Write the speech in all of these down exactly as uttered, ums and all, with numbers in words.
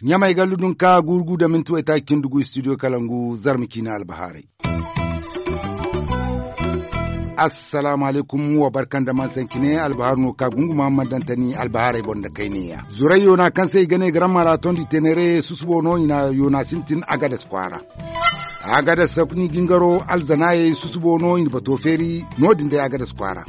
Ɲamay gallu dunka gurgu da minti waytaaci cindi gu studio kalangu zarma ciine albahaarey. Assalaamu alaykum, wa barka nda man sanki ne albahaaru no ka gunguma man dantani albahaarey boŋ nda kayneya zurey yoona kaŋ se i ga ne ga rammara tondi tenere susubo no i na yoona sintin agadas kwaara. Agadas sokni jingaro alzanaayey susubo no i na bato feeri no- din day agadas kwaara.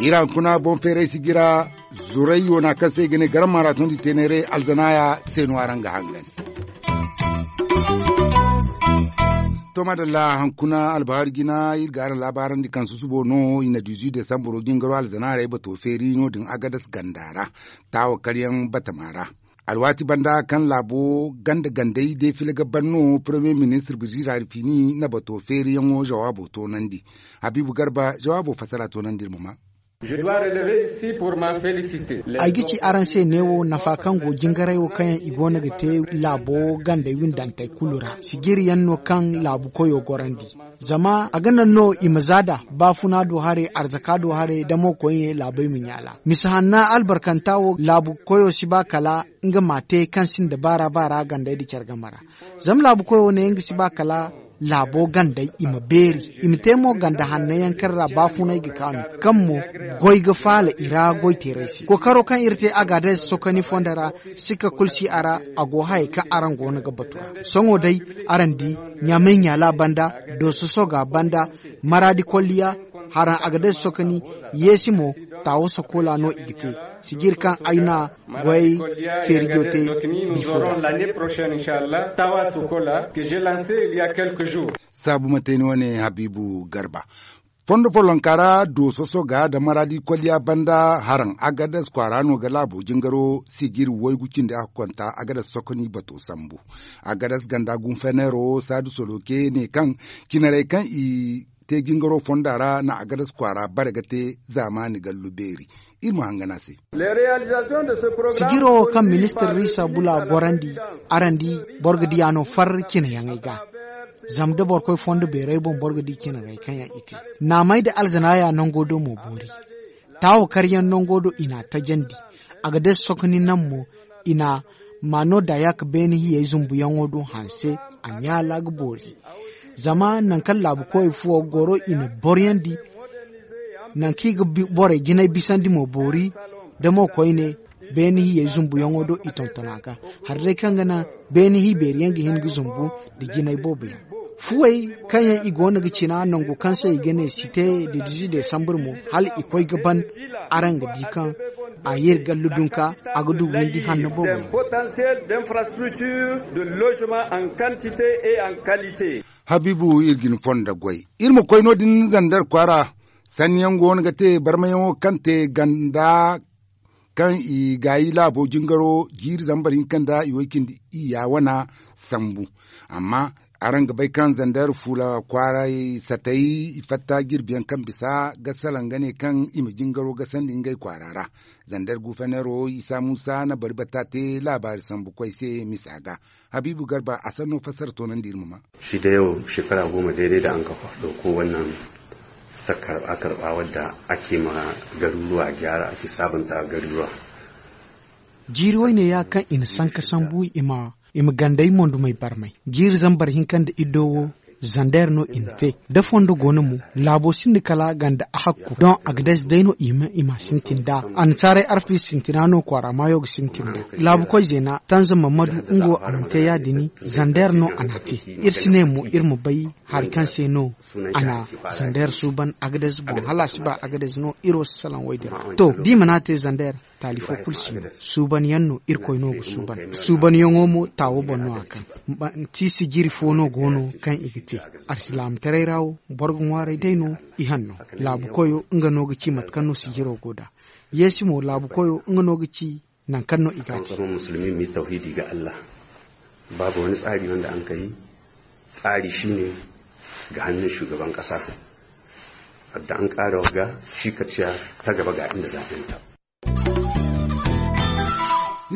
Iri hankuna boŋ feeray sijira zurey yoona kaŋ se i ga ne garam maaraton di teeneere alzanaaya se no araŋ ga hangan. To madalla, hankuna albahaari jina iri ga araŋ laabaarandi kaŋ susubo no i na dizu desambaro jingaro alzanaarey bato feeri no- din agadas ganda ra taawo karyaŋ batama ra. Alwaati banda kaŋ laabo ganda gandey deefile ga ban no, paramiye ministir birjira rifini na bato feeriyaŋo zawaabo toonandi. Habiibu garba zawaabo fassara toonandi iri ma maa. Ay ga ci araŋ se neewo nafa kaŋ go jingaray wo kaŋ yaŋ i go no ga te laabo gandey windantey kulu ra sijiri yaŋ no kaŋ laabu koyo gorandi. Zama a ga naŋ no i ma za da baafuna do haray arzaka do haray damo koyne laabey ma ɲaala misa hanna albarkanta wo laabu koyo si ba kala nga ma a te kaŋ sinda baara baara gandey nda care game ra. Zama laabu koyo ne nga si ba kala laabo gandey i ma beeri, i ma te mo ganda hanno yaŋ kaŋ ra baafunay ga kaanu, kaŋ mo goy ga faala i ra goyteerey se. Kookaro kaŋ iri te agaadez sokoni fondo ra, sikka kulu si a ra. A go hayey kaŋ araŋ go no ga batu ra. Sohõ day, araŋ di ɲaamay ɲaala banda, dooso soga banda, maraadi kolliya, haraŋ agaadez sokoni, yeesi mo, taawo sokoola no i ga te. Sijiri kaŋ ay na goyey feerijo te bifo ra. Saabu ma te ni wane habiibu garba. Fondo follonka ra dooso soga nda maraadi kolliya banda haraŋ agadas kwaara no ga laabo jingaro sijiri waygu cindi a ga konta agadas sokoni bato sambu. Agadas ganda gunfeneero saadu soloke ne kaŋ cinarey kaŋ i te jingaro fonda ra na agadas kwaara bare ga te zaamaani gallu beeri. Iri ma hangan a se. Sijiro wo kaŋ ministir riisa bula gorandi, araŋ di, boro ga diya no far cinayaŋey ga. Zama da boro koy fondo beeray boŋ boro ga di cinarey kaŋ yaŋ i te. Naamay nda alzanaaya nango do mo boori. Taawo karyaŋ nango do i n'a tajandi. A ga day sokoni naŋ mo, i na ma no daya ka beene hiyey zumbuyaŋo do hanse. A ɲaala ga boori. Zama nangu kaŋ laabu koy fuwo goro i na boryandi, nangu kaŋ i ga borey jinay bisandi mo boori. Da mo koyne beene hiyey zumbuyaŋo do i tonton a ga. Hari day kaŋ ga naŋ beene hi beeri yaŋ ga hin ga zumbu nda jinay boobo yaŋ. Fuwey kaŋ yaŋ i go no ga cina nangu kaŋ se i ga ne site de dizi desambur mo, hala i koy ga ban. Araŋ ga di kaŋ a ye iri gallu dunka, a ga du windi hanno boobo yaŋ. Habiibu iri ga ni fondo goy iri ma koy no- din zandar kwaara. Sanni yaŋ go no ga te barmayaŋo kaŋ te ganda kaŋ i gaayi laabo jingaro jiiri zambar hinka nda i way cindi iyya wana sambu. Amma araŋ ga bay kaŋ zandar fuula kwaaray satay i fatta jirbi yaŋ kaŋ bisa ga salaŋ ga ne kaŋ i ma jingaro gasandi ngey kwaara ra. Zandar gufeneero isa muusa na bari batta te laabaari sambu koy se misa ga. Habiibu garba a sanno fassara toonandi iri ma maa. Shi da yau shekara goma daidai da an kafa ɗauko wannan ta karɓa-karɓa wadda ake ma garuruwa gyara, ake sabunta garuruwa. Jiiri wayne ya kaŋ i na sanka sambu i ma i ma gandey mondumey barmay jiiri zambar hinka nda iddo wo. Zander no i na te da fondo go no mo. Laabo sinda kala ganda a hakku don a ga day day no i ma i ma sintin da. Annasaarey arfi sintina no kwaara maayo ga sintin da. Laabu koy zeena tanza mamadu nga wo a mana te ya- din. Zander no a n'a te. Iri si ne mo iri ma bay hari kaŋ se no a na zander suuban agadez boŋ hala a si ba agadez no iri wo si salaŋ woy din ra to da i mana te zander. Taali fo kulu si no suuban yaŋ no irkoy no ga suuban. Suuban yaŋo mo taawo boŋ no a kaŋ manti sijiri fo no go no kaŋ i ga te. Alsilaamataray ra wo boro ga ŋwaaray day no. I hanno laabu koyo nga no ga ci mate kaŋ no sijiro go nd'a. Yeesi mo laabu koyo nga no ga ci nangu kaŋ no i ga te. Musulmi mu yi tawhidi ga allah. Babu wani tsari wanda an ka yi tsari shi ne ga hannun shugaban kasa. Wadda an kara wagga shi ka ciya ta gaba ga inda zaɓenta.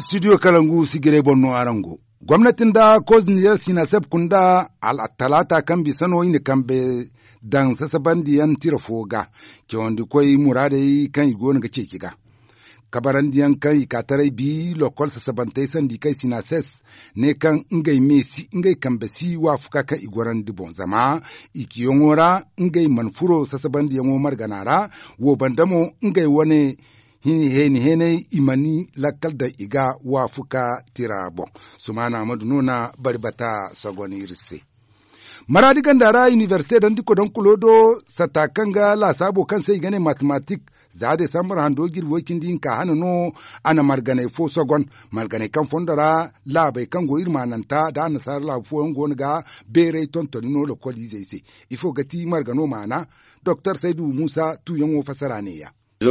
Studio kalangu sigiray boŋ no araŋ go. Gomnati nda koz nizer sinaseb kunda, talaata kaŋ bisa no i na kambe daŋ sasabandiyaŋ tira fo ga. Cawandi koy muraadey kaŋ i go no ga ceeci ga kabarandiyaŋ kaŋ i ka taray bi lokol sasabantey sandi kay sinases ne kaŋ ngey me si ngey kambe si waafuka kaŋ i gorandi boŋ zama i ciyaŋo ra ngey mana furo sasabandiyaŋo margana ra. Wo banda mo ngey wane heeni heenay i mana lakkal daŋ i ga waafuka tira boŋ. Sumaana amadu no na bari bata sogon iri se. Maraadi ganda ra inibersite dandi kodankulo do satta kaŋ ga laasaabo kaŋ se i ga ne matematik za desambar hando jirbi way-cindi hinka hane no. A na marganey fo sogon marganey kaŋ fondo ra laabey kaŋ go iri maananta nda annasaara laabu fooyaŋ go no ga beeray tontoni no lokoliizey se. Ifo ga ti margano maana? Doktor saydu muusa tuuyaŋo fassara neeya. A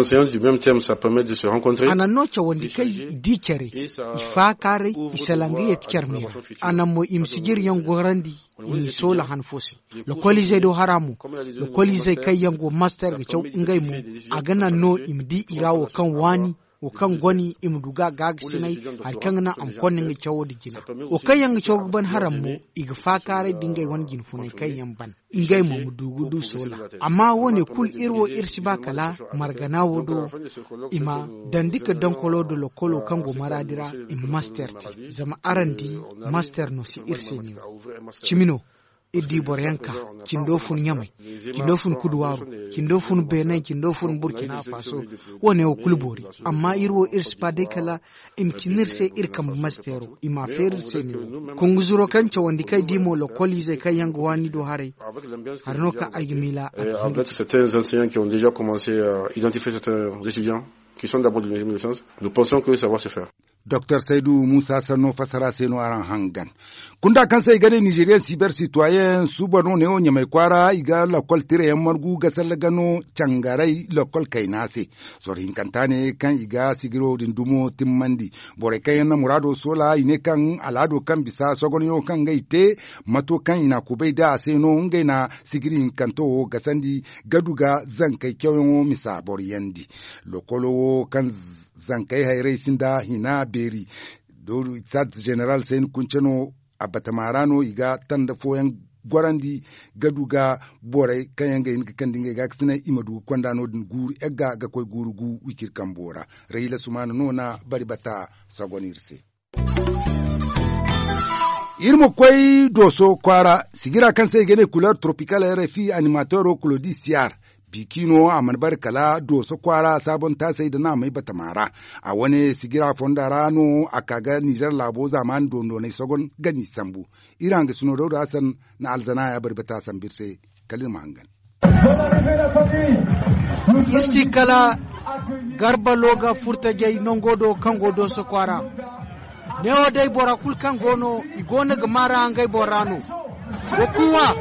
naŋ no cawandi kaŋ i di care i faakaaray i salaŋ ga yeeti care me ra. A naŋ mo i ma sijiryaŋ gorandi i n'i soola han fo se. Lokoliizey do hara mo lokoliizey kaŋ yaŋ go master ga caw ngey mo a ga naŋ no i ma di i ra wo kaŋ waani wo kaŋ goni i ma du ga gaagasinay hari kaŋ ga naŋ a ma konda nga cawo nda jina. Wo kaŋ yaŋ ga caw ga ban haram mo i ga faakaaray nda ngey wane jinfunay kaŋ yaŋ ban ngey mo ma du ga du soola. Amma wo- ne kulu iri wo iri si ba kala margana wo do i ma dandi ka dankolo nda lokolo kaŋ go maraadi ra i ma master te. Zama araŋ di master no si iri se ne wo cimi no. Iri di boro yaŋ ka cindo fun ɲamay, cindo fun kuduwaaru, cindo fun beenay cindo fun burkina faso. Wo- ne wo kulu boori. Amma iri wo iri si ba day kala i ma cina iri se iri kambe masteero i m'a feeri iri se ne wo konguzuro kaŋ cawandi kaŋ ay di mo lokoliizey kaŋ yaŋ ga waani do haray. Hari no kaŋ ay ga miila a ga hin ga te. Certains enseignants qui ont déjà commencé à identifier certains étudiants qui sont d'abord de l'université de sciences, nous pensons que ça va se faire. Doktor saydu muusa sanno fassara se no araŋ hangan. Kunda kaŋ se i ga ne nizeriyaŋ siber sitwayen suuba no neewo ɲamay kwaara i ga lakkol tirayaŋ margu ga salle ga no cangaray lakkol kayna se. Soro hinkanta ne kaŋ i ga sigiro din dumo timmandi. Borey kaŋ yaŋ na muraado soola i ne kaŋ alaado kaŋ bisa sogonyo kaŋ ga i te mato kaŋ i na kubay da a se no ngey na sigiri hinkanto wo gasandi ga du ga zankey cawyaŋo misa boro yandi. Lokolo wo kaŋ zankey hayray sinda hina beeri. Doori stade general sayni kunce no a batama ra no i ga tanda fooyaŋ gorandi ga du ga borey kaŋ yaŋ ga hin ga kande ngey ga ga sinay i ma du ga konda no- din guuru egga ga koy guuru gu wiciri kambo ra. Rahila sumaana no na bari bata sagon iri se. Iri ma koy dooso kwaara sigira kaŋ se i ga ne kuleer toropikal rfi animateero kulodi siyar. Biiki no a mana bare kala dooso kwaara saabontaasey nda naamey batama ra. A wane sigira fonda ra no a ka ga nizer laabo zaamaani doondoonay sogon ga n'i sambu. Iri hangasino dawda hasan na alzana ya bari bata sambu iri se. Kala iri ma hangan. Iri si kala garba looga furtajey nango do kaŋ go dooso kwaara. Neewo day bora kulu kaŋ go no i go no ga maa ra ngey bora no. Wa kuuwa.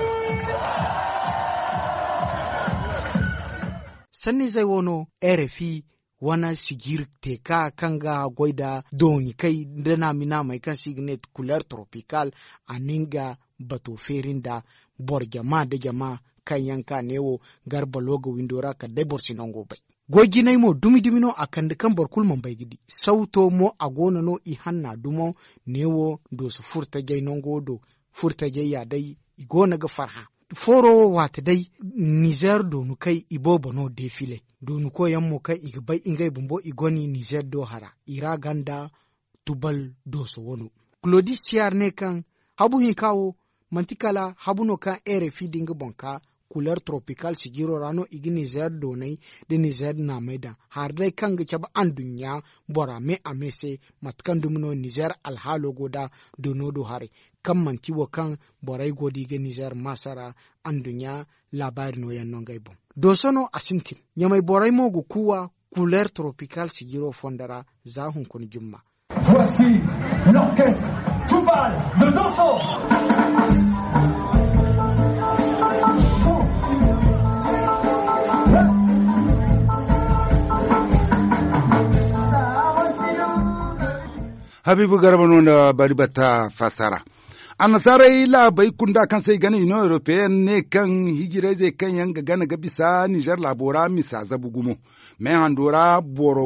Sanniizey wo no rfi wane sijir teeka kaŋ ga goy nda dooni kay nda naami naamey kaŋ se i ga ne kuleer toropikal. A na nga bato feeri nda boro jama nda jama kaŋ yaŋ ka neewo garba looga windo ra kala day boro si nango bay. Goy jinay mo dumi dumi no a kande kaŋ boro kulu mana bay ga di sawto mo a go no no i hanna dumo. Neewo dooso furtajey nango do furtajey ya day i go no ga farhã. Fooro wo waati day nizer doonu kay i boobo no defile doonu koy yaŋ mo kaŋ i ga bay ngey bumbo i goni nizer do hara i ra ganda tubal dooso wano. Kulodi siyar ne kaŋ habu hinka wo manti kala habu no kaŋ rfi da nga boŋ ka kuleer toropikal sijiro ra no i ga nizer doonay nda nizer naamey daŋ hari day kaŋ ga cabe anduɲɲa bora me a me se. Mate kaŋ dumi no nizer alhaalo go nda doono do haray kaŋ manti wo kaŋ borey go da i ga nizer maasa ra. Anduɲɲa laabaari nooyaŋ no ngey boŋ. Dooso no a sintin ɲamay borey mo ga kuuwa kuleer toropikal sijiro fondo ra. Za hunkuna jumma. Voici l'orchestre Tubal de Dosso. Habiibu garba no nda bari batta fassara. Annasaarey laabey kunda kaŋ se i ga ne iniyoŋ europeyenne ne kaŋ hijirayzey kaŋ yaŋ ga gana ga bisa nizer laabo ra misa zabu gumo. Me hando ra boro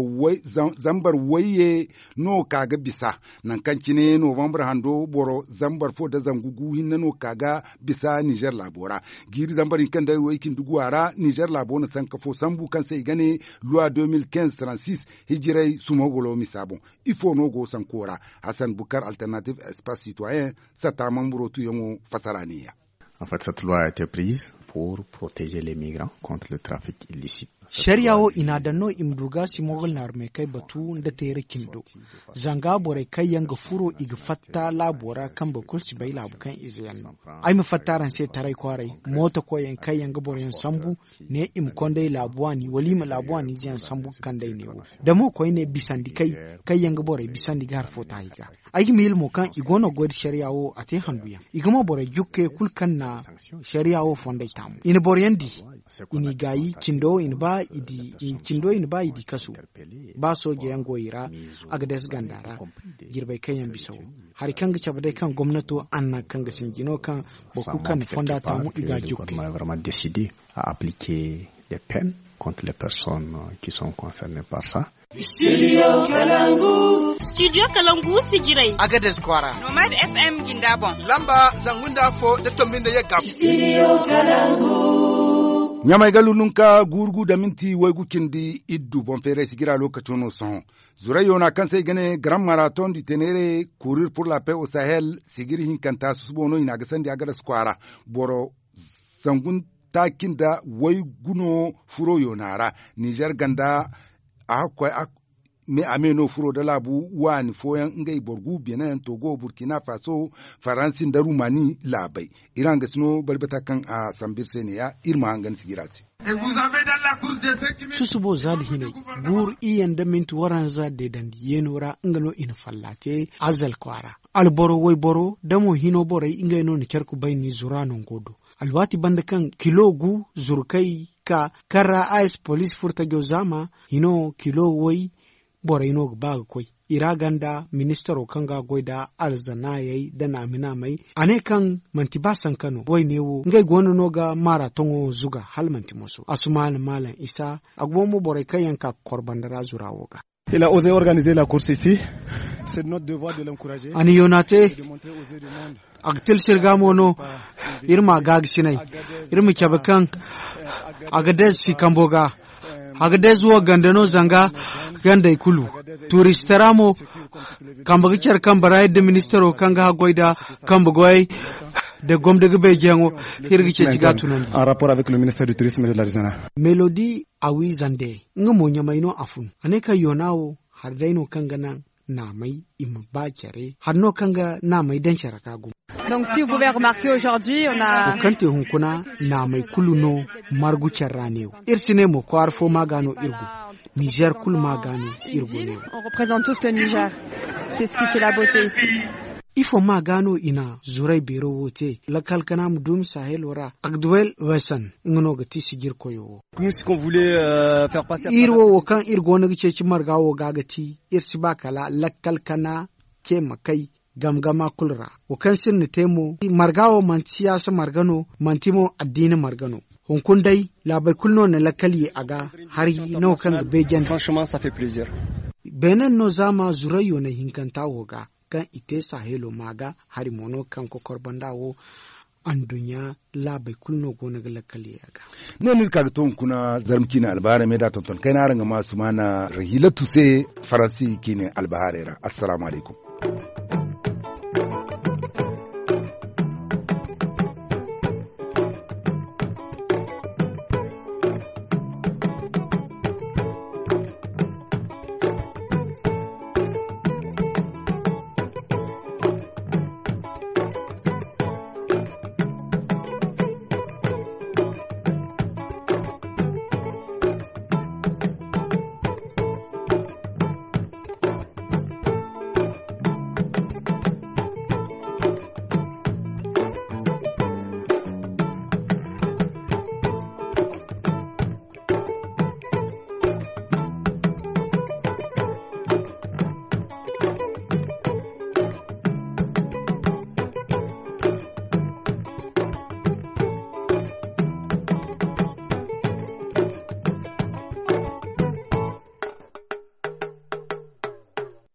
zambar wayye no ka ga bisa. Nangu kaŋ cine novambar hando boro zambar fo nda zangu gu hinne no ka ga bisa nizer laabo ra. Jiiri zambar hinka nda way cindi guwa ra nizer laabo na sanka fo sambu kaŋ se i ga ne luwa deux mille quinze trente-six hijiray sumogolo misa boŋ. Ifo no go sanko ra? Hasan bukar alternative espace citoyen sata mamburo tuyaŋo fasara neeya. En fait cette loi a été prise pour protéger les migrants contre le trafic illicite. Sariya wo i n'a daŋ no i ma du ga simogol naarumey kay batu nda teera cindi do. Zanga borey kaŋ yaŋ ga furo i ga fatta laabo ra kambe kulu si bay laabu kaŋ ize yaŋ no. Ay ma fatta araŋ se taray kwaaray mooto koyyaŋ kaŋ yaŋ ga boroyaŋ sambu ne i ma konday laabu waani wala i ma laabu waani ize yaŋ sambu ga kand'ey neewo. Da mo koyne bisandi kay kaŋ yaŋ ga borey bisandi ga hari fo taahi ga. Ay ga miila mo kaŋ i go no ga goy nda sariya wo a te handu yaŋ i ga mo borey jukke kulu kaŋ na sariya wo fondey taamu i na boroyaŋ di. I n'i gaayi cindo i na ba i di kasu. Ba sooje yaŋ go i ra a ga dees ganda ra. Jirbey kaŋ yaŋ bisa wo hari kaŋ ga cabe day kaŋ gomnato anna kaŋ ga sinji no kaŋ boro kulu kaŋ na fonda taamu i ga a jukke. A appliquer les peines contre les personnes qui sont concernées par ça. Studio kalangu sijirey a ga des kwara nomad fm jinda boŋ lamba zangu nda fo da tombi nda yagga. Ɲamay ga lununka gurugu da minti waygu cindi iddu boŋ feeray sijira lokaco no sohõ. Zurayyo na kaŋ se i ga ne grand marathon du tenere courir pour la paix au sahel sijiri hinkanta susubo no i na a ga sandi a ga des kwara boro zangu taaci nda waygu no furo yoona ra. Nizer ganda a hakkoy a me no furo nda laabu waani fooyaŋ ngey boro gu benin togo burkina faso faransi nda rumani laabey. Iri hangasino bari bata kaŋ a sambu iri se neeya iri ma hangan sijira se. Susubo za da hinay guuru iyye nda minti waranza deedandi yeeno ra nga no i na falla te. Azal kwaara alboro wayboro da mo hino borey ngey no na care kubayni zura nango do. Alwaati banda kaŋ kilo gu zurkey ka kaŋ ra a ye si poliisi furo tajo zaama hino kilo way borey no ga ba ga koy. I ra ganda ministaro kaŋ ga a goy nda alzanaayey nda naami-naamey a ne kaŋ manti ba sanka no wayne wo ngey go no no ga maara toŋo zuga hala manti moso a si maana maalam isa. A go mo borey kaŋ yaŋ ka ga kor banda ra zura wo ga. A na yoona te. A ga tilsi iri ga mo no iri ma gaaga sinay iri ma cabe kaŋ a ga deezi si kambo ga. A ga deezi wo ganda no zanga gandey kulu. Tuuristara mo kambe ga care kambe ra iri nda ministaro kaŋ ga haggoy nda kambe goyey nda gomda ga beejeyaŋo. Iri ga ceeci ga a tunandi. Melodi a wi zande nga mo ɲamay no a fun a ne kaŋ yoona wo hari day no kaŋ ga naŋ naamey i ma ba care hari no kaŋ ga naamey daŋ care ga gumo. Wo kaŋ te hunkuna naamey kulu no margu care ra neewo. Iri si ne mo kwaara fo ma ga no iri go. Nizer kulu ma ga no iri go neewo. Ifo ma ga no i na zuray beero wo te lakkal kana ma duumi sahelo ra agduwel wesan nga no ga ti sijirkoyo wo. Iri wo wo kaŋ iri go no ga ceeci marga wo ga ga ti iri si ba kala lakkal kana ce ma kay gamgama kulu ra. Wo kaŋ se iri na te mo marga wo manti siyaasa marga no manti mo addiina marga no. Hunkuna day laabey kulu no na lakkal ye a ga hari no kaŋ ga beejandi. Beenen no zaama zurayyo na hinkanta wo ga kaŋ i te sahelo ma ga hari mo no kaŋ kokor banda wo. Anduɲɲa laabey kulu no go no ga lakkal ye a ga. Ne no iri ka ga to hunkuna zarma ciine albahaarey me da tonton kayna araŋ ga ma sumaana rahilatu se faransi ciine albahaarey ra. Assalaamu alaykum.